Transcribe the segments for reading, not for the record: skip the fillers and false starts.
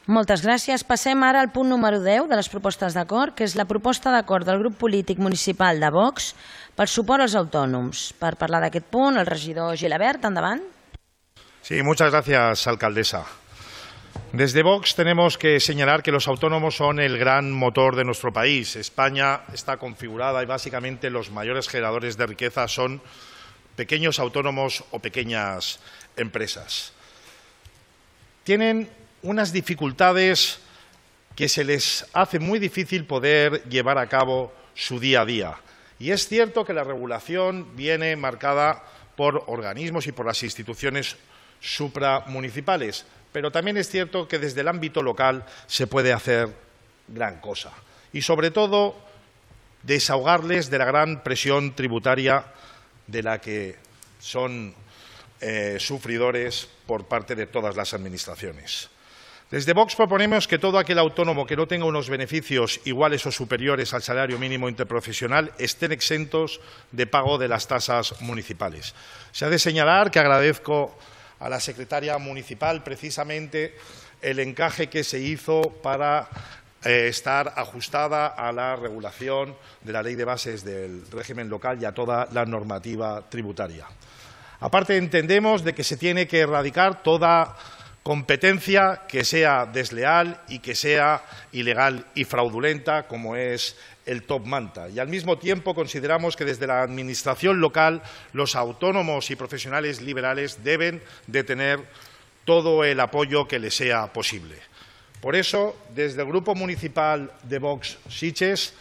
Moltes gràcies. Passem ara al punt número 10 de les propostes d'acord, que és la proposta d'acord del grup polític municipal de Vox pel suport als autònoms. Per parlar d'aquest punt, el regidor Gilabert, endavant. Sí, muchas gracias, alcaldesa. Desde Vox tenemos que señalar que los autónomos son el gran motor de nuestro país. España está configurada y básicamente los mayores generadores de riqueza son pequeños autónomos o pequeñas empresas. Tienen unas dificultades que se les hace muy difícil poder llevar a cabo su día a día. Y es cierto que la regulación viene marcada por organismos y por las instituciones supramunicipales, pero también es cierto que desde el ámbito local se puede hacer gran cosa. Y sobre todo, desahogarles de la gran presión tributaria de la que son sufridores por parte de todas las administraciones. Desde Vox proponemos que todo aquel autónomo que no tenga unos beneficios iguales o superiores al salario mínimo interprofesional estén exentos de pago de las tasas municipales. Se ha de señalar que agradezco a la secretaria municipal precisamente el encaje que se hizo para estar ajustada a la regulación de la Ley de Bases del régimen local y a toda la normativa tributaria. Aparte, entendemos de que se tiene que erradicar toda competencia que sea desleal y que sea ilegal y fraudulenta, como es el top manta. Y al mismo tiempo consideramos que desde la administración local los autónomos y profesionales liberales deben de tener todo el apoyo que les sea posible. Por eso, desde el Grupo Municipal de Vox Sitges,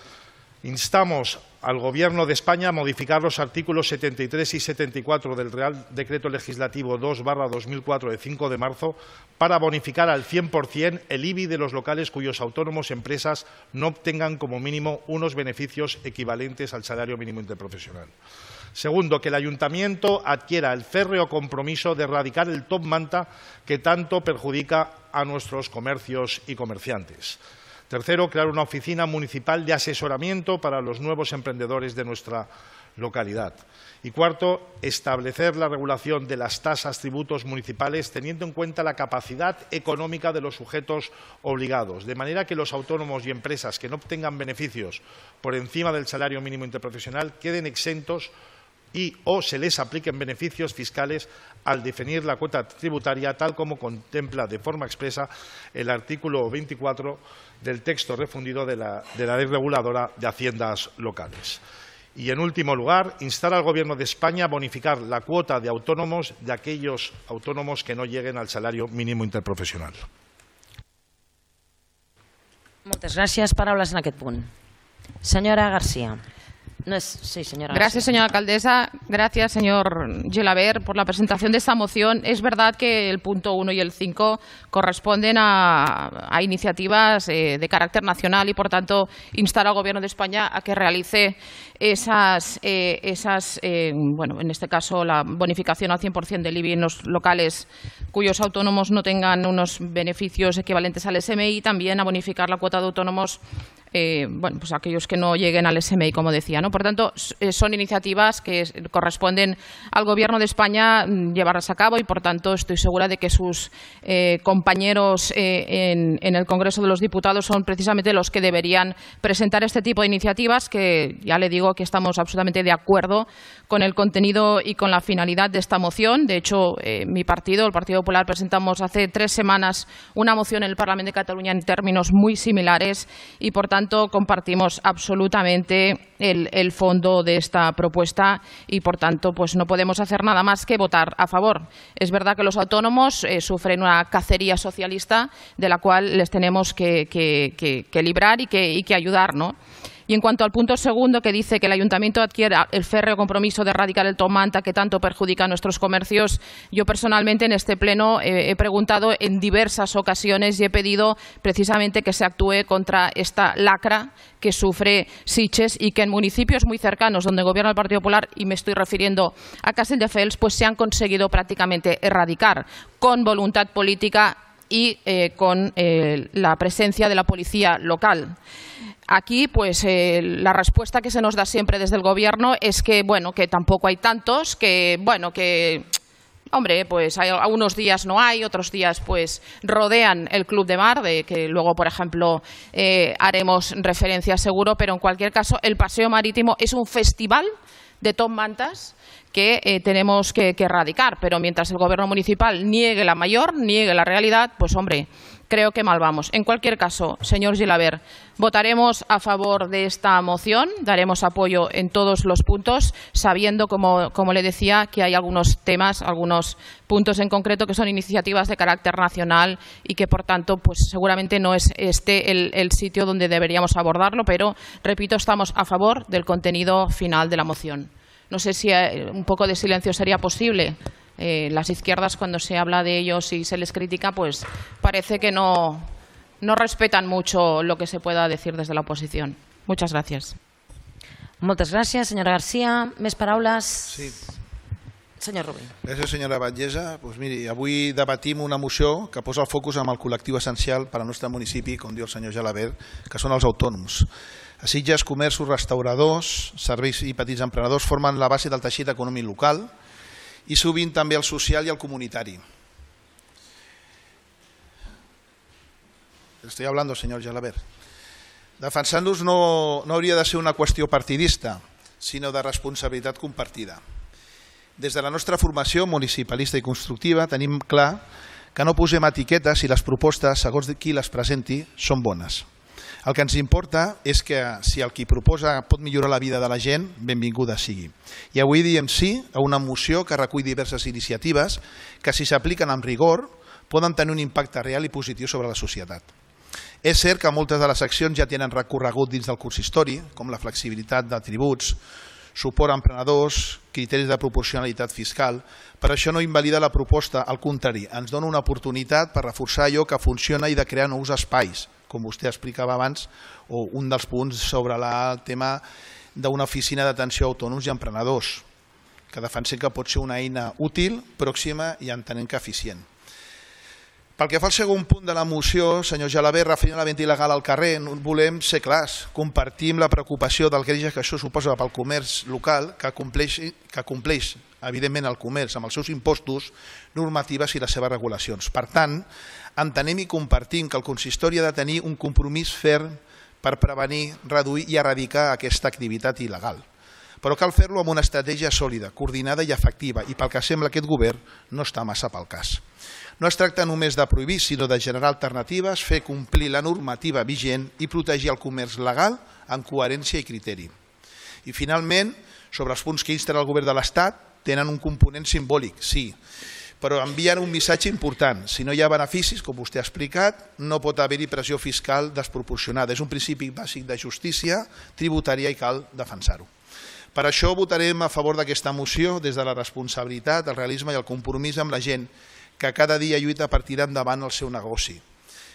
instamos al Gobierno de España a modificar los artículos 73 y 74 del Real Decreto Legislativo 2/2004 de 5 de marzo para bonificar al 100% el IBI de los locales cuyos autónomos empresas no obtengan como mínimo unos beneficios equivalentes al salario mínimo interprofesional. Segundo, que el Ayuntamiento adquiera el férreo compromiso de erradicar el top manta que tanto perjudica a nuestros comercios y comerciantes. Tercero, crear una oficina municipal de asesoramiento para los nuevos emprendedores de nuestra localidad. Y cuarto, establecer la regulación de las tasas, tributos municipales teniendo en cuenta la capacidad económica de los sujetos obligados, de manera que los autónomos y empresas que no obtengan beneficios por encima del salario mínimo interprofesional queden exentos y o se les apliquen beneficios fiscales al definir la cuota tributaria, tal como contempla de forma expresa el artículo 24 del texto refundido de la Ley Reguladora de Haciendas Locales. Y, en último lugar, instar al Gobierno de España a bonificar la cuota de autónomos de aquellos autónomos que no lleguen al salario mínimo interprofesional. Moltes gràcies. Paraules en aquest punt. Senyora García. Sí, señora. Gracias, señora alcaldesa. Gracias, señor Gilabert, por la presentación de esta moción. Es verdad que el punto 1 y el 5 corresponden a iniciativas de carácter nacional y, por tanto, instar al Gobierno de España a que realice bueno, en este caso, la bonificación al 100% del IBI en los locales cuyos autónomos no tengan unos beneficios equivalentes al SMI, y también a bonificar la cuota de autónomos bueno, pues aquellos que no lleguen al SMI, como decía, ¿no? Por tanto, son iniciativas que corresponden al Gobierno de España llevarlas a cabo y, por tanto, estoy segura de que sus compañeros en el Congreso de los Diputados son precisamente los que deberían presentar este tipo de iniciativas, que ya le digo que estamos absolutamente de acuerdo con el contenido y con la finalidad de esta moción. De hecho, mi partido, el Partido Popular, presentamos hace 3 semanas una moción en el Parlamento de Cataluña en términos muy similares y, por tanto, compartimos absolutamente el fondo de esta propuesta y, por tanto, pues no podemos hacer nada más que votar a favor. Es verdad que los autónomos sufren una cacería socialista de la cual les tenemos que librar y que ayudar, ¿no? Y en cuanto al punto segundo, que dice que el Ayuntamiento adquiera el férreo compromiso de erradicar el top manta que tanto perjudica a nuestros comercios, yo personalmente en este pleno he preguntado en diversas ocasiones y he pedido precisamente que se actúe contra esta lacra que sufre Sitges y que en municipios muy cercanos donde gobierna el Partido Popular, y me estoy refiriendo a Castelldefels, pues se han conseguido prácticamente erradicar con voluntad política y con la presencia de la policía local. Aquí, pues, la respuesta que se nos da siempre desde el Gobierno es que, bueno, que tampoco hay tantos, que, bueno, que hombre, pues hay algunos días no hay, otros días pues rodean el Club de Mar, de que luego, por ejemplo, haremos referencia seguro, pero en cualquier caso el paseo marítimo es un festival de top mantas que tenemos que erradicar, pero mientras el gobierno municipal niegue la mayor, niegue la realidad, pues hombre, creo que mal vamos. En cualquier caso, señor Gilabert, votaremos a favor de esta moción, daremos apoyo en todos los puntos, sabiendo, como le decía, que hay algunos temas, algunos puntos en concreto que son iniciativas de carácter nacional y que, por tanto, pues seguramente no es este el sitio donde deberíamos abordarlo, pero, repito, estamos a favor del contenido final de la moción. No sé si un poco de silencio sería posible. Las izquierdas, cuando se habla de ellos y se les critica, pues parece que no respetan mucho lo que se pueda decir desde la oposición. Muchas gracias. Moltes gràcies, senyora Garcia. Més paraules? Sí. Senyor Rubí. Gràcies, senyora Batllessa. Pues miri, avui debatim una moció que posa el focus en el col·lectiu essencial per al nostre municipi, com diu el senyor Gelabert, que són els autònoms. A Sitges, comerços, restauradors, serveis i petits emprenedors formen la base del teixit econòmic local i sovint també el social i el comunitari. Estoy hablando, señor Gelabert. Defensar-nos no hauria de ser una qüestió partidista, sinó de responsabilitat compartida. Des de la nostra formació municipalista i constructiva tenim clar que no posem etiquetes i les propostes, segons qui les presenti, són bones. El que ens importa és que si el qui proposa pot millorar la vida de la gent, benvinguda sigui. I avui diem sí a una moció que recull diverses iniciatives que, si s'apliquen amb rigor, poden tenir un impacte real i positiu sobre la societat. És cert que moltes de les accions ja tenen recorregut dins del consistori, com la flexibilitat de tributs, suport a emprenedors, criteris de proporcionalitat fiscal, però això no invalida la proposta, al contrari, ens dona una oportunitat per reforçar allò que funciona i de crear nous espais, com vostè explicava abans, o un dels punts sobre el tema d'una oficina d'atenció a autònoms i emprenedors, que defensem que pot ser una eina útil, pròxima i entenem que eficient. Pel que fa al segon punt de la moció, senyor Gelabert, referint a la venda il·legal al carrer, volem ser clars, compartim la preocupació del greuge que això suposa pel comerç local, que compleix, evidentment, el comerç amb els seus impostos, normatives i les seves regulacions. Per tant, entenem i compartim que el consistori ha de tenir un compromís ferm per prevenir, reduir i erradicar aquesta activitat il·legal. Però cal fer-lo amb una estratègia sòlida, coordinada i efectiva, i pel que sembla aquest govern no està massa pel cas. No es tracta només de prohibir, sinó de generar alternatives, fer complir la normativa vigent i protegir el comerç legal amb coherència i criteri. I finalment, sobre els punts que insten el govern de l'Estat, tenen un component simbòlic, sí, però envien un missatge important. Si no hi ha beneficis, com vostè ha explicat, no pot haver-hi pressió fiscal desproporcionada. És un principi bàsic de justícia tributària i cal defensar-ho. Per això votarem a favor d'aquesta moció des de la responsabilitat, el realisme i el compromís amb la gent que cada dia lluita per tirar endavant el seu negoci.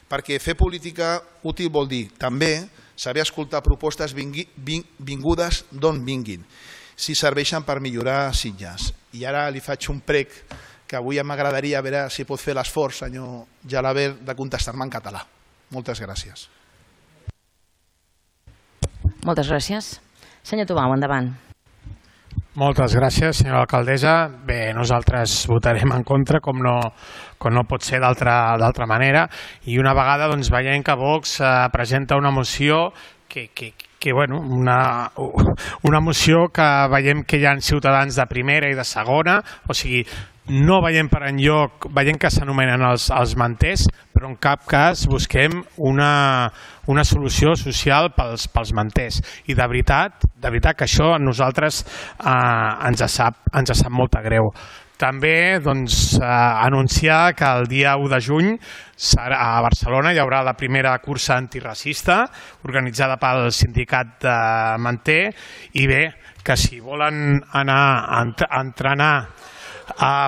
Perquè fer política útil vol dir també saber escoltar propostes vingudes d'on vinguin, si serveixen per millorar Sitges. I ara li faig un prec que avui m'agradaria veure si pot fer l'esforç, senyor Gelabert, de contestar-me en català. Moltes gràcies. Moltes gràcies. Senyor Tomau, endavant. Moltes gràcies, senyora alcaldessa. Bé, nosaltres votarem en contra, com no pot ser d'altra manera, i una vegada veiem que Vox presenta una moció una moció que veiem que hi ha ciutadans de primera i de segona, o sigui, no veiem per enlloc, veiem que s'anomenen els manters, però en cap cas busquem una solució social pels manters. I de veritat que això a nosaltres ens sap molt greu. També anunciar que el dia 1 de juny a Barcelona hi haurà la primera cursa antiracista organitzada pel sindicat de Manter, i bé, que si volen anar a entrenar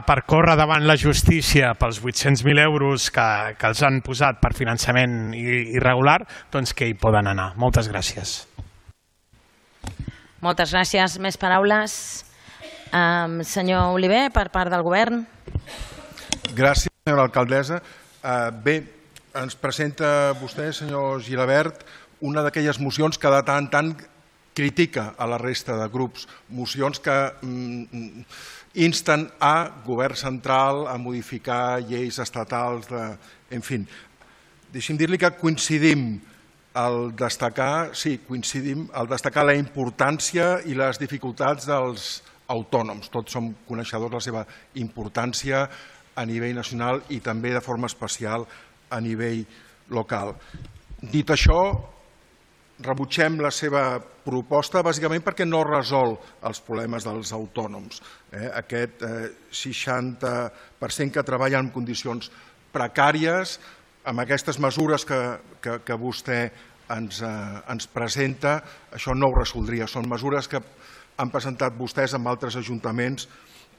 per córrer davant la justícia pels 800.000 euros que els han posat per finançament irregular, doncs que hi poden anar. Moltes gràcies. Moltes gràcies. Més paraules? Senyor Oliver, per part del govern. Gràcies, senyora alcaldessa. Bé, ens presenta vostè, senyor Gilabert, una d'aquelles mocions que de tant en tant critica a la resta de grups, mocions que insten a govern central a modificar lleis estatals, en fi. Deixi'm dir-li que coincidim al destacar la importància i les dificultats dels autònoms. Tots som coneixedors de la seva importància a nivell nacional i també de forma especial a nivell local. Dit això, rebutgem la seva proposta bàsicament perquè no resol els problemes dels autònoms. Aquest 60% que treballa en condicions precàries, amb aquestes mesures que vostè ens presenta, això no ho resoldria. Són mesures que han presentat vostès en altres ajuntaments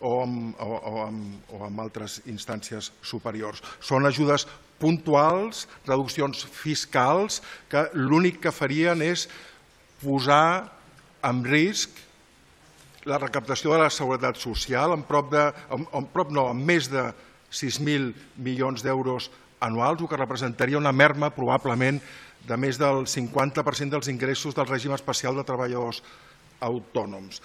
o en altres instàncies superiors. Són ajudes puntuals, reduccions fiscals, que l'únic que farien és posar en risc la recaptació de la seguretat social amb més de 6.000 milions d'euros anuals, el que representaria una merma probablement de més del 50% dels ingressos del règim especial de treballadors autònoms.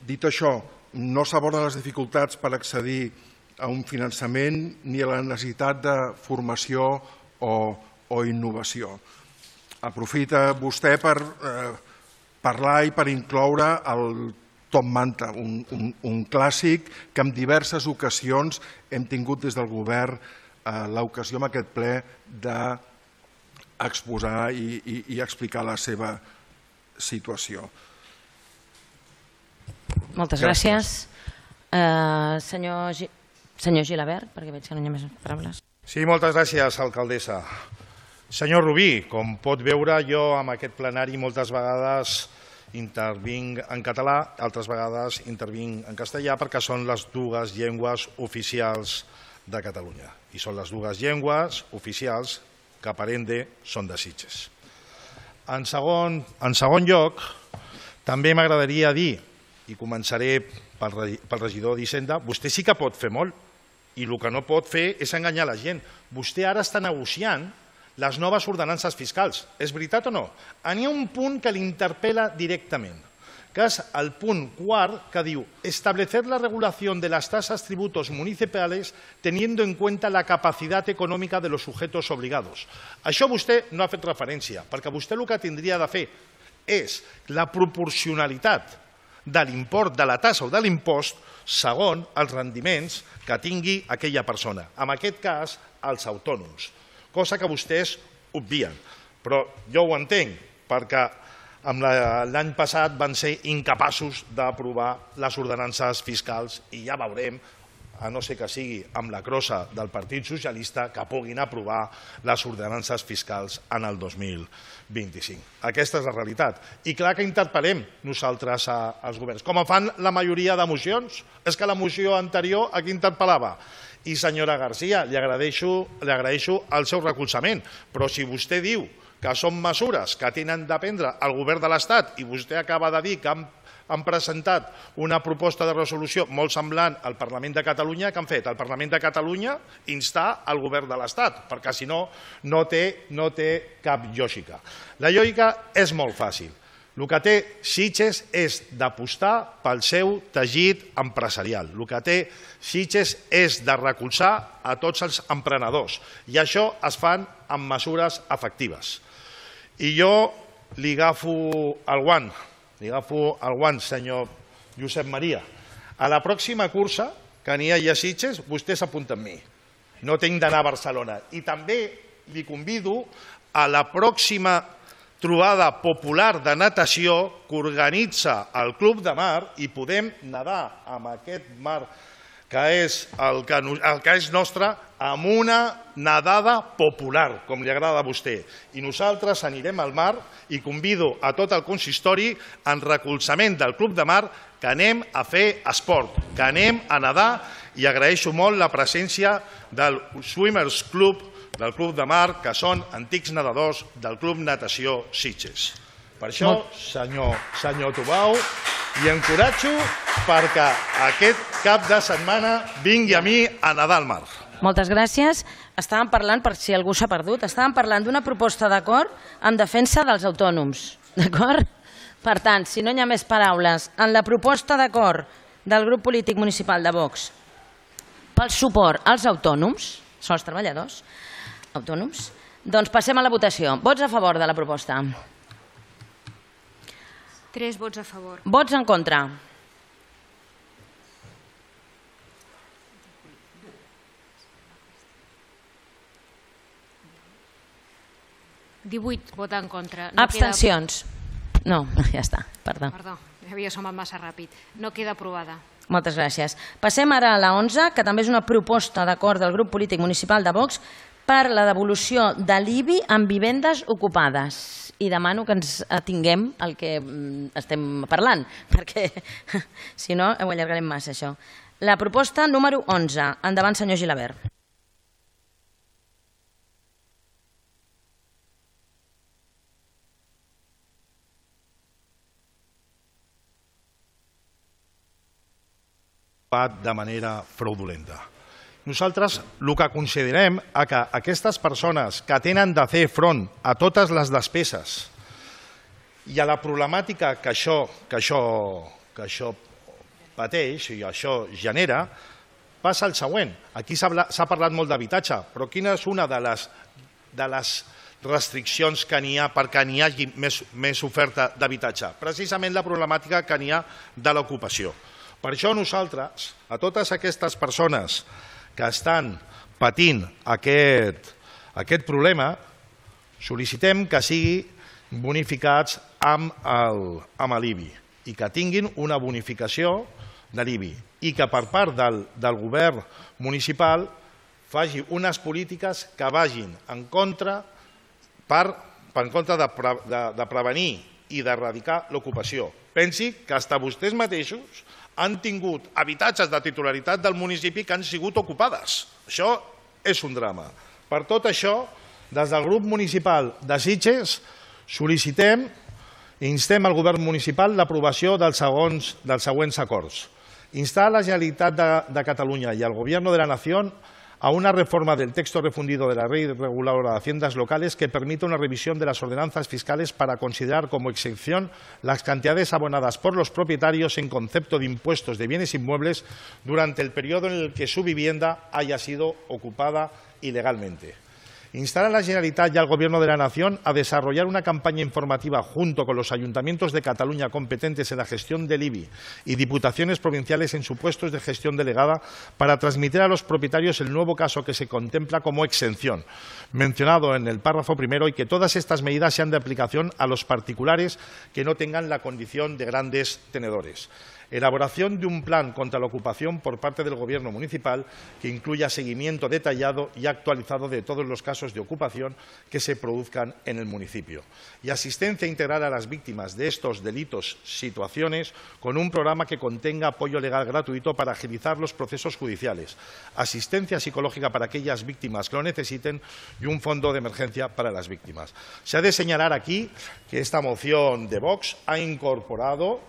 Dit això, no s'aborden les dificultats per accedir a un finançament ni a la necessitat de formació o innovació. Aprofita vostè per parlar i per incloure el top manta, un clàssic que en diverses ocasions hem tingut des del govern l'ocasió en aquest ple d'exposar i explicar la seva situació. Moltes gràcies. Senyor Gilabert, perquè veig que no hi ha més paraules. Sí, moltes gràcies, alcaldessa. Senyor Rubí, com pot veure, jo en aquest plenari moltes vegades intervinc en català, altres vegades intervinc en castellà perquè són les dues llengües oficials de Catalunya. I són les dues llengües oficials que per ende són de Sitges. En segon lloc, també m'agradaria dir, i començaré pel regidor d'Hisenda, vostè sí que pot fer molt i el que no pot fer és enganyar la gent. Vostè ara està negociant les noves ordenances fiscals. És veritat o no? N'hi ha un punt que l'interpel·la directament, que és el punt 4, que diu establecer la regulación de las tasas tributos municipales teniendo en cuenta la capacidad económica de los sujetos obligados. Això vostè no ha fet referència, perquè vostè el que tindria de fer és la proporcionalitat de l'import de la tassa o de l'impost segons els rendiments que tingui aquella persona, en aquest cas els autònoms, cosa que vostès obvien. Però jo ho entenc, perquè l'any passat van ser incapaços d'aprovar les ordenances fiscals i ja veurem, a no ser que sigui amb la crossa del Partit Socialista, que puguin aprovar les ordenances fiscals en el 2025. Aquesta és la realitat. I clar que interpel·lem nosaltres als governs, com fan la majoria de mocions. És que la moció anterior a qui interpel·lava? I senyora García, li agraeixo el seu recolzament, però si vostè diu que són mesures que tenen de prendre el govern de l'Estat i vostè acaba de dir que han presentat una proposta de resolució molt semblant al Parlament de Catalunya, que han fet al Parlament de Catalunya instar el govern de l'Estat, perquè si no, no té cap lògica. La lògica és molt fàcil. El que té Sitges és d'apostar pel seu teixit empresarial. El que té Sitges és de recolzar a tots els emprenedors. I això es fan amb mesures efectives. I jo li agafo el guant, senyor Josep Maria. A la pròxima cursa que n'hi hagi a Sitges, vostè s'apunta amb mi. No tinc d'anar a Barcelona. I també li convido a la pròxima trobada popular de natació que organitza el Club de Mar i podem nedar amb aquest mar que és el que és nostre, amb una nedada popular, com li agrada a vostè. I nosaltres anirem al mar i convido a tot el consistori en recolzament del Club de Mar que anem a fer esport, que anem a nedar, i agraeixo molt la presència del Swimmers Club del Club de Mar, que són antics nedadors del Club Natació Sitges. Per això, senyor Tubau, i encoratjo perquè aquest cap de setmana vingui a mi a nedar al mar. Moltes gràcies. Estàvem parlant, per si algú s'ha perdut, estàvem parlant d'una proposta d'acord en defensa dels autònoms. D'acord? Per tant, si no hi ha més paraules, en la proposta d'acord del grup polític municipal de Vox pel suport als autònoms, són els treballadors autònoms, doncs passem a la votació. Vots a favor de la proposta? 3 vots a favor. Vots en contra? Vota en contra. Abstencions? No, ja està, perdó. Perdó, havia somat massa ràpid. No queda aprovada. Moltes gràcies. Passem ara a la 11, que també és una proposta d'acord del grup polític municipal de Vox per la devolució de l'IBI en vivendes ocupades. I demano que ens atinguem al que estem parlant, perquè si no ho allargarem massa, això. La proposta número 11. Endavant, senyor Gilabert. De manera fraudulenta. Nosaltres el que considerem és que aquestes persones que tenen de fer front a totes les despeses i a la problemàtica que això pateix i això genera, passa el següent. Aquí s'ha parlat molt d'habitatge, però quina és una de les restriccions que n'hi ha perquè n'hi hagi més oferta d'habitatge? Precisament la problemàtica que n'hi ha de l'ocupació. Per això nosaltres, a totes aquestes persones que estan patint aquest problema, sol·licitem que siguin bonificats amb l'IBI i que tinguin una bonificació de l'IBI i que per part del govern municipal faci unes polítiques que vagin en contra de prevenir i d'erradicar l'ocupació. Pensi que fins vostès mateixos han tingut habitatges de titularitat del municipi que han sigut ocupades. Això és un drama. Per tot això, des del grup municipal de Sitges, sol·licitem i instem al govern municipal l'aprovació dels següents acords. Instar a la Generalitat de Catalunya i al Gobierno de la Nación a una reforma del texto refundido de la Ley Reguladora de Haciendas Locales que permita una revisión de las ordenanzas fiscales para considerar como exención las cantidades abonadas por los propietarios en concepto de impuestos de bienes inmuebles durante el periodo en el que su vivienda haya sido ocupada ilegalmente. Instar a la Generalitat y al Gobierno de la Nación a desarrollar una campaña informativa junto con los ayuntamientos de Cataluña competentes en la gestión del IBI y diputaciones provinciales en supuestos de gestión delegada para transmitir a los propietarios el nuevo caso que se contempla como exención, mencionado en el párrafo primero, y que todas estas medidas sean de aplicación a los particulares que no tengan la condición de grandes tenedores. Elaboración de un plan contra la ocupación por parte del Gobierno municipal que incluya seguimiento detallado y actualizado de todos los casos de ocupación que se produzcan en el municipio. Y asistencia integral a las víctimas de estos delitos, situaciones, con un programa que contenga apoyo legal gratuito para agilizar los procesos judiciales, asistencia psicológica para aquellas víctimas que lo necesiten y un fondo de emergencia para las víctimas. Se ha de señalar aquí que esta moción de Vox ha incorporado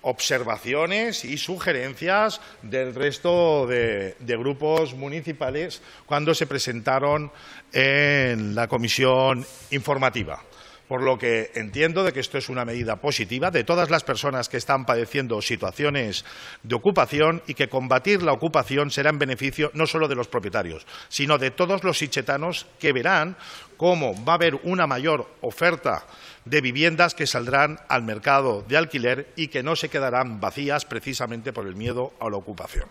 observaciones y sugerencias del resto de grupos municipales cuando se presentaron en la comisión informativa. Por lo que entiendo de que esto es una medida positiva de todas las personas que están padeciendo situaciones de ocupación y que combatir la ocupación será en beneficio no solo de los propietarios, sino de todos los sitgetanos que verán cómo va a haber una mayor oferta de viviendas que saldrán al mercado de alquiler y que no se quedarán vacías precisamente por el miedo a la ocupación.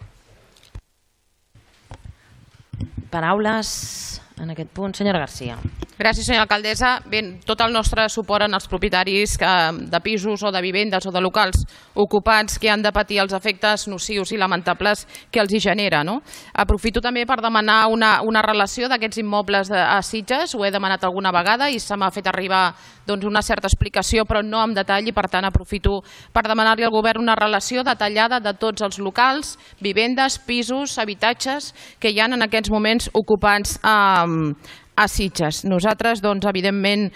Paraules en aquest punt. Senyora Garcia. Gràcies, senyora alcaldessa. Bé, tot el nostre suport als propietaris de pisos o de vivendes o de locals ocupats que han de patir els efectes nocius i lamentables que els hi genera. Aprofito també per demanar una relació d'aquests immobles a Sitges. Ho he demanat alguna vegada i se m'ha fet arribar una certa explicació, però no en detall, i per tant aprofito per demanar-li al govern una relació detallada de tots els locals, vivendes, pisos, habitatges que hi ha en aquests moments ocupats a Sitges. Nosaltres, evidentment,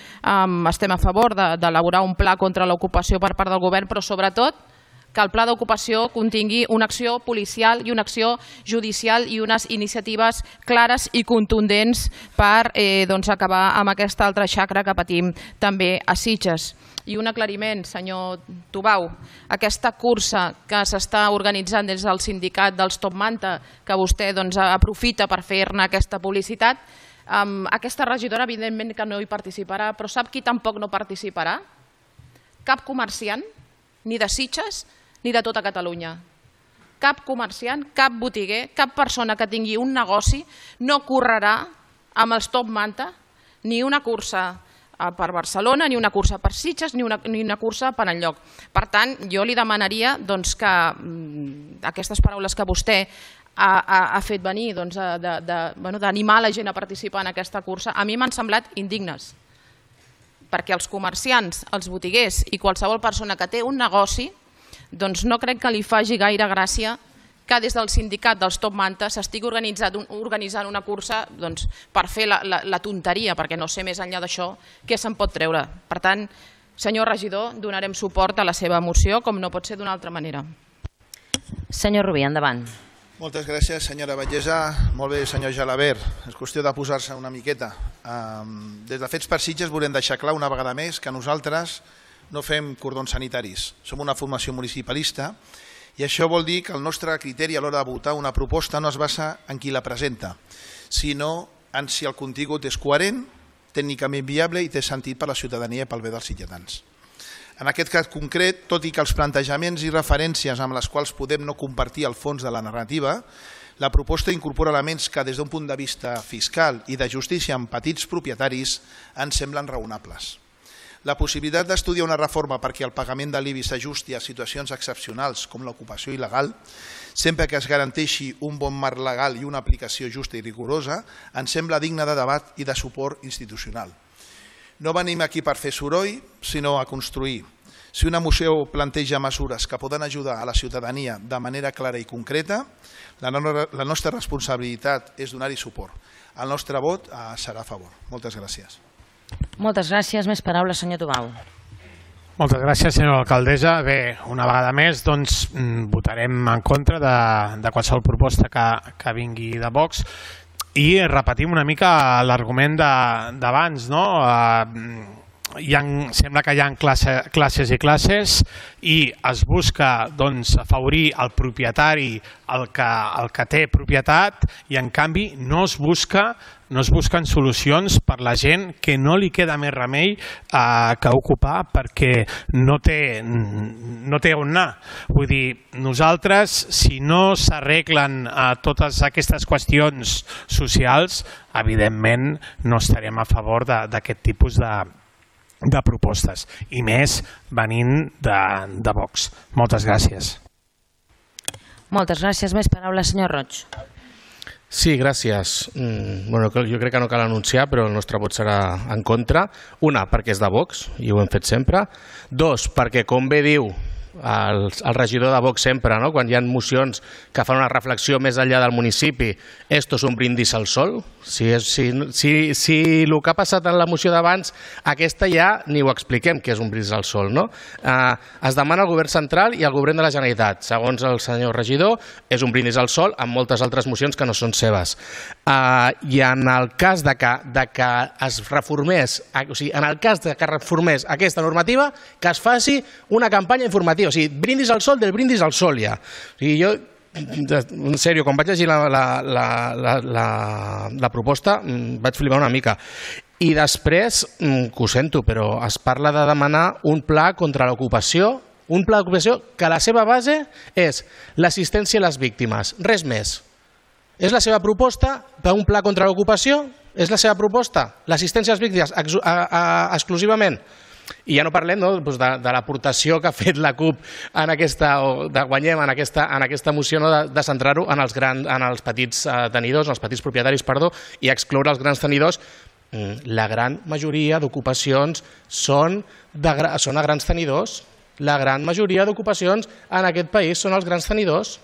estem a favor d'elaborar un pla contra l'ocupació per part del govern, però sobretot que el pla d'ocupació contingui una acció policial i una acció judicial i unes iniciatives clares i contundents per acabar amb aquesta altra xacra que patim també a Sitges. I un aclariment, senyor Tubau, aquesta cursa que s'està organitzant des del sindicat dels Top Manta, que vostè aprofita per fer-ne aquesta publicitat, aquesta regidora evidentment que no hi participarà, però sap qui tampoc no participarà? Cap comerciant, ni de Sitges ni de tota Catalunya. Cap comerciant, cap botiguer, cap persona que tingui un negoci no correrà amb els Top Manta ni una cursa per Barcelona, ni una cursa per Sitges, ni una cursa per enlloc. Per tant, jo li demanaria que aquestes paraules que vostè ha fet venir d'animar la gent a participar en aquesta cursa, a mi m'han semblat indignes. Perquè els comerciants, els botiguers i qualsevol persona que té un negoci, no crec que li faci gaire gràcia que des del sindicat dels Top Manta s'estigui organitzant una cursa per fer la tonteria, perquè no sé més enllà d'això què se'n pot treure. Per tant, senyor regidor, donarem suport a la seva moció, com no pot ser d'una altra manera. Senyor Rubí, endavant. Moltes gràcies, senyora Batllessa. Molt bé, senyor Gelabert. És qüestió de posar-se una miqueta. Des de Fets per Sitges volem deixar clar una vegada més que nosaltres no fem cordons sanitaris. Som una formació municipalista i això vol dir que el nostre criteri a l'hora de votar una proposta no es basa en qui la presenta, sinó en si el contingut és coherent, tècnicament viable i té sentit per la ciutadania i pel bé dels sitgetans. En aquest cas concret, tot i que els plantejaments i referències amb les quals podem no compartir el fons de la narrativa, la proposta incorpora elements que des d'un punt de vista fiscal i de justícia en petits propietaris ens semblen raonables. La possibilitat d'estudiar una reforma perquè el pagament de l'IBI s'ajusti a situacions excepcionals com l'ocupació il·legal, sempre que es garanteixi un bon marc legal i una aplicació justa i rigorosa, ens sembla digne de debat i de suport institucional. No venim aquí per fer soroll, sinó a construir. Si una moció planteja mesures que poden ajudar a la ciutadania de manera clara i concreta, la nostra responsabilitat és donar-hi suport. El nostre vot serà a favor. Moltes gràcies. Moltes gràcies. Més paraules, senyor Tubau. Moltes gràcies, senyora alcaldessa. Bé, una vegada més votarem en contra de qualsevol proposta que vingui de Vox i repetim una mica l'argument d'abans, no? Sembla que hi ha classes i classes i es busca afavorir el propietari, el que té propietat, i en canvi no es busquen solucions per la gent que no li queda més remei que ocupar perquè no té on anar. Vull dir, nosaltres, si no s'arreglen totes aquestes qüestions socials, evidentment no estarem a favor d'aquest tipus de propostes, i més venint de Vox. Moltes gràcies. Moltes gràcies. Més paraules, senyor Roig. Sí, gràcies. Jo crec que no cal anunciar, però el nostre vot serà en contra. Una, perquè és de Vox, i ho hem fet sempre. Dos, perquè, com bé diu el regidor de Vox sempre, no? Quan hi ha mocions que fan una reflexió més enllà del municipi, esto és un brindis al sol. Si el que ha passat en la moció d'abans, aquesta ja ni ho expliquem, que és un brindis al sol, no? Es demana al govern central i al govern de la Generalitat. Segons el senyor regidor, és un brindis al sol amb moltes altres mocions que no són seves. I en el cas de que es reformés, en el cas de que reformés aquesta normativa, que es faci una campanya informativa. O sigui, brindis al sol del brindis al sol ja. O sigui, jo, en sèrio, quan vaig llegir la proposta vaig flipar una mica. I després, que ho sento, però es parla de demanar un pla contra l'ocupació, un pla d'ocupació que la seva base és l'assistència a les víctimes, res més. És la seva proposta per un pla contra l'ocupació? És la seva proposta? L'assistència a les víctimes exclusivament? I ja no parlem de l'aportació que ha fet la CUP de Guanyem en aquesta moció, de centrar-ho en els petits tenidors, en els petits propietaris, i excloure els grans tenidors. La gran majoria d'ocupacions són a grans tenidors. La gran majoria d'ocupacions en aquest país són els grans tenidors.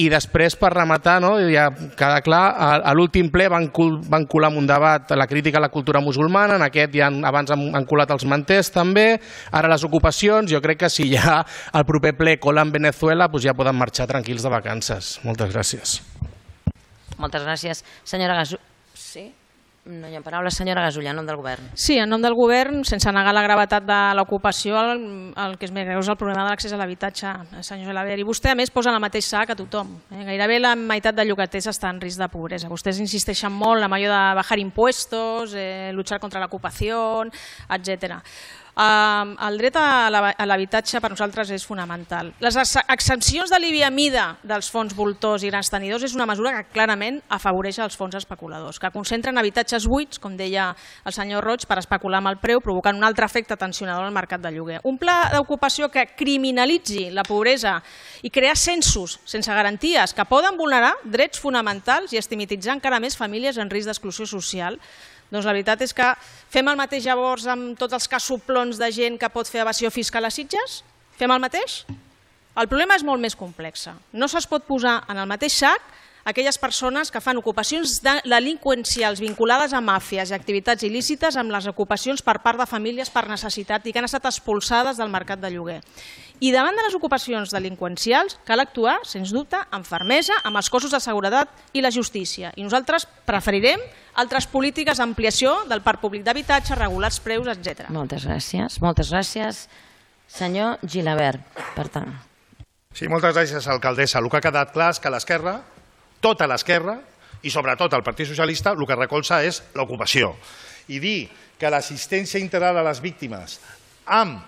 I després, per rematar, ja queda clar, a l'últim ple van colar en un debat la crítica a la cultura musulmana, en aquest ja abans han colat els manters també, ara les ocupacions, jo crec que si ja al proper ple colen Venezuela ja poden marxar tranquils de vacances. Moltes gràcies. Moltes gràcies. Senyora Gasulla. Sí? No hi ha paraules. Senyora Gasulla, en nom del govern. Sí, en nom del govern, sense negar la gravetat de l'ocupació, el que és més greu és el problema de l'accés a l'habitatge, senyor Gelabert. I vostè, a més, posa en el mateix sac a tothom. Gairebé la meitat de llogaters està en risc de pobresa. Vostès insisteixen molt en allò de bajar impuestos, luchar contra l'ocupació, etc. El dret a l'habitatge per nosaltres és fonamental. Les exempcions de l'IBI a mida dels fons voltors i grans tenidors és una mesura que clarament afavoreix els fons especuladors, que concentren habitatges buits, com deia el senyor Roig, per especular amb el preu, provocant un altre efecte tensionador al mercat de lloguer. Un pla d'ocupació que criminalitzi la pobresa i crear censos sense garanties que poden vulnerar drets fonamentals i estigmatitzar encara més famílies en risc d'exclusió social. Doncs la veritat és que fem el mateix llavors amb tots els cassoplons de gent que pot fer evasió fiscal a Sitges? Fem el mateix? El problema és molt més complex. No se'ls pot posar en el mateix sac aquelles persones que fan ocupacions delinqüencials vinculades a màfies i activitats il·lícites amb les ocupacions per part de famílies per necessitat i que han estat expulsades del mercat de lloguer. I davant de les ocupacions delinqüencials cal actuar, sens dubte, amb fermesa, amb els cossos de seguretat i la justícia. I nosaltres preferirem altres polítiques d'ampliació del parc públic d'habitatge, regular els preus, etc. Moltes gràcies. Moltes gràcies. Senyor Gilabert, per tant. Sí, moltes gràcies, alcaldessa. El que ha quedat clar és que l'esquerra, tota l'esquerra, i sobretot el Partit Socialista, el que recolza és l'ocupació. I dir que l'assistència integral a les víctimes amb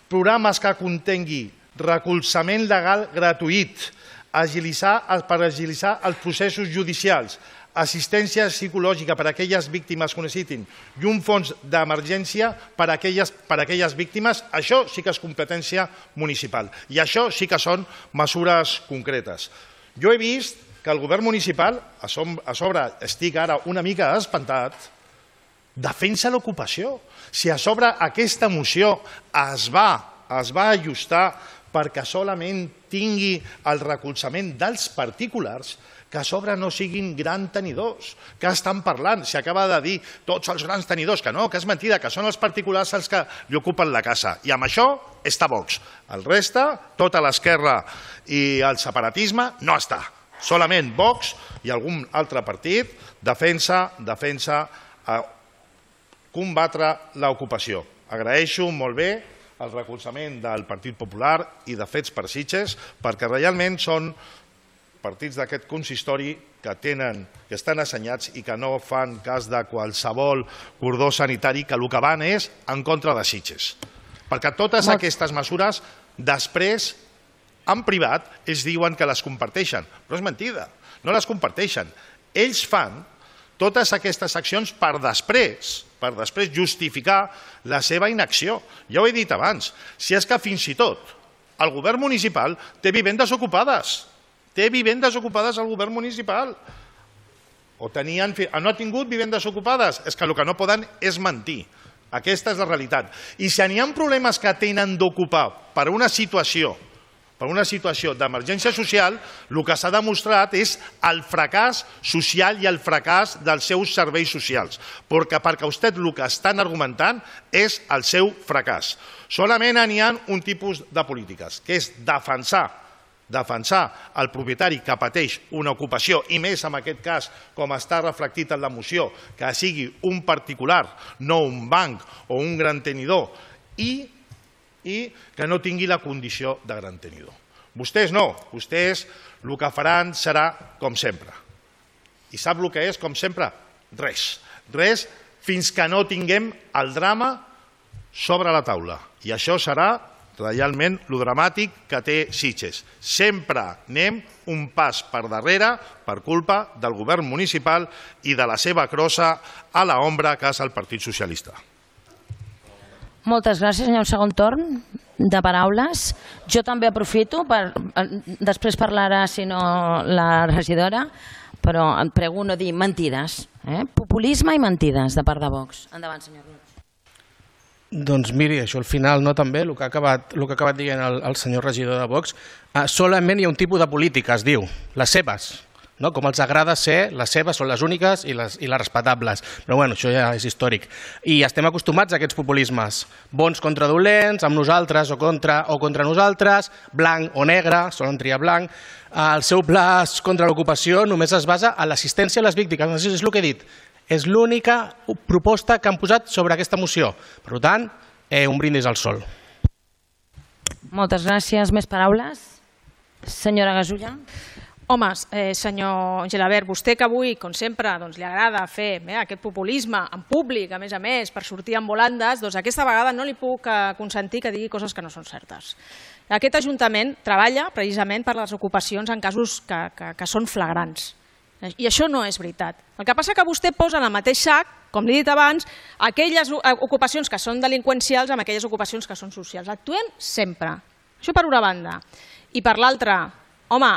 programes que contengui recolzament legal gratuït, per agilitzar els processos judicials, assistència psicològica per a aquelles víctimes que ho necessitin i un fons d'emergència per a aquelles víctimes, això sí que és competència municipal i això sí que són mesures concretes. Jo he vist que el govern municipal, a sobre estic ara una mica espantat, defensa l'ocupació. Si a sobre aquesta moció es va ajustar perquè solament tingui el recolzament dels particulars, que a sobre no siguin grans tenidors, que estan parlant, s'acaba de dir tots els grans tenidors, que no, que és mentida, que són els particulars els que li ocupen la casa. I amb això està Vox. El reste, tota l'esquerra i el separatisme, no està. Solament Vox i algun altre partit defensa combatre l'ocupació. Agraeixo molt bé el recolzament del Partit Popular i de Fets per Sitges, perquè realment són partits d'aquest consistori que estan assenyats i que no fan cas de qualsevol cordó sanitari, que el que van és en contra de Sitges. Perquè totes aquestes mesures, després, en privat, ells diuen que les comparteixen, però és mentida, no les comparteixen. Ells fan totes aquestes accions per després justificar la seva inacció. Ja ho he dit abans, si és que fins i tot el govern municipal té vivendes ocupades. Té vivendes ocupades el govern municipal. No ha tingut vivendes ocupades. És que el que no poden és mentir. Aquesta és la realitat. I si n'hi ha problemes que tenen d'ocupar per una situació d'emergència social, el que s'ha demostrat és el fracàs social i el fracàs dels seus serveis socials. Perquè vostè el que estan argumentant és el seu fracàs. Solament n'hi ha un tipus de polítiques, que és defensar el propietari que pateix una ocupació, i més en aquest cas, com està reflectit en la moció, que sigui un particular, no un banc o un gran tenidor, i que no tingui la condició de gran tenidor. Vostès no, vostès el que faran serà com sempre. I sap el que és com sempre? Res. Res fins que no tinguem el drama sobre la taula. I això serà realment el dramàtic que té Sitges. Sempre anem un pas per darrere per culpa del govern municipal i de la seva crossa a l'ombra que és el Partit Socialista. Moltes gràcies, senyor. Segon torn de paraules. Jo també aprofito, després parlarà, si no, la regidora, però em prego no dir mentides. Populisme i mentides de part de Vox. Endavant, senyor Roig. Doncs miri, això al final no també, el que ha acabat dient el senyor regidor de Vox, solament hi ha un tipus de política, es diu, les seves. No? Com els agrada ser, les seves són les úniques i les respectables. Però bueno, això ja és històric. I estem acostumats a aquests populismes. Bons contra dolents, amb nosaltres o contra nosaltres, blanc o negre, solen triar blanc. El seu pla contra l'ocupació només es basa en l'assistència a les víctimes. Això és el que he dit. És l'única proposta que han posat sobre aquesta moció. Per tant, un brindis al sol. Moltes gràcies. Més paraules? Senyora Gasulla. Home, senyor Gelabert, vostè que avui, com sempre, li agrada fer aquest populisme en públic, a més, per sortir en volandes, doncs aquesta vegada no li puc consentir que digui coses que no són certes. Aquest Ajuntament treballa precisament per les ocupacions en casos que són flagrants. I això no és veritat. El que passa és que vostè posa en el mateix sac, com li he dit abans, aquelles ocupacions que són delinqüencials amb aquelles ocupacions que són socials. Actuem sempre. Això per una banda. I per l'altra, home,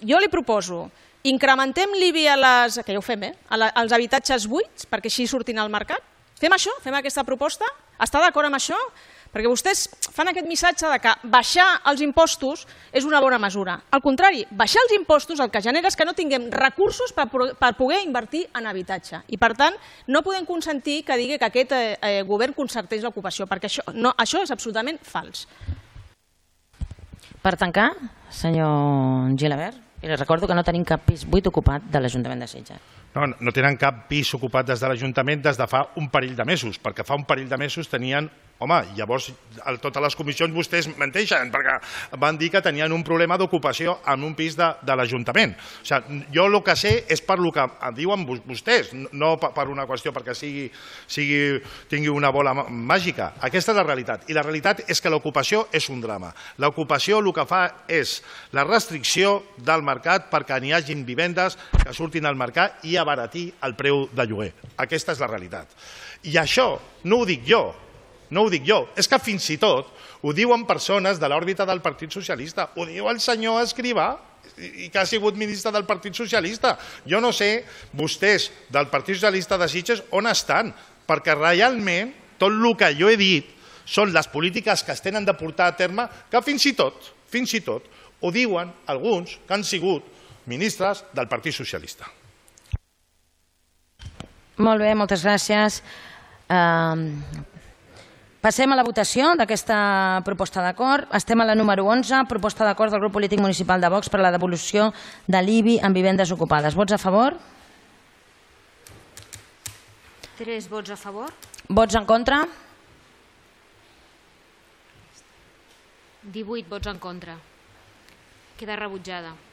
jo li proposo, incrementem l'IBI que ja ho fem, als habitatges buits, perquè així surtin al mercat. Fem això? Fem aquesta proposta? Està d'acord amb això? Perquè vostès fan aquest missatge de que baixar els impostos és una bona mesura. Al contrari, baixar els impostos el que genera és que no tinguem recursos per poder invertir en habitatge. I per tant, no podem consentir que digui que aquest govern concerteix l'ocupació, perquè això és absolutament fals. Per tancar, senyor Gilabert, i li recordo que no tenim cap pis buit ocupat de l'Ajuntament de Sitges. No tenen cap pis ocupat des de l'Ajuntament des de fa un parell de mesos, perquè fa un parell de mesos tenien... Home, llavors a totes les comissions vostès menteixen, perquè van dir que tenien un problema d'ocupació en un pis de l'Ajuntament. O sigui, jo el que sé és per el que diuen vostès, no per una qüestió perquè tingui una bola màgica. Aquesta és la realitat. I la realitat és que l'ocupació és un drama. L'ocupació el que fa és la restricció del mercat perquè n'hi hagin vivendes que surtin al mercat i abaratir el preu de lloguer. Aquesta és la realitat. I això no ho dic jo. No ho dic jo, és que fins i tot ho diuen persones de l'òrbita del Partit Socialista, ho diu el senyor Escrivà, i que ha sigut ministre del Partit Socialista. Jo no sé, vostès del Partit Socialista de Sitges on estan, perquè realment tot el que jo he dit són les polítiques que es tenen de portar a terme, que fins i tot, ho diuen alguns que han sigut ministres del Partit Socialista. Molt bé, moltes gràcies. Passem a la votació d'aquesta proposta d'acord. Estem a la número 11, proposta d'acord del grup polític municipal de Vox per a la devolució de l'IBI en vivendes ocupades. Vots a favor? 3 vots a favor. Vots en contra? 18 vots en contra. Queda rebutjada.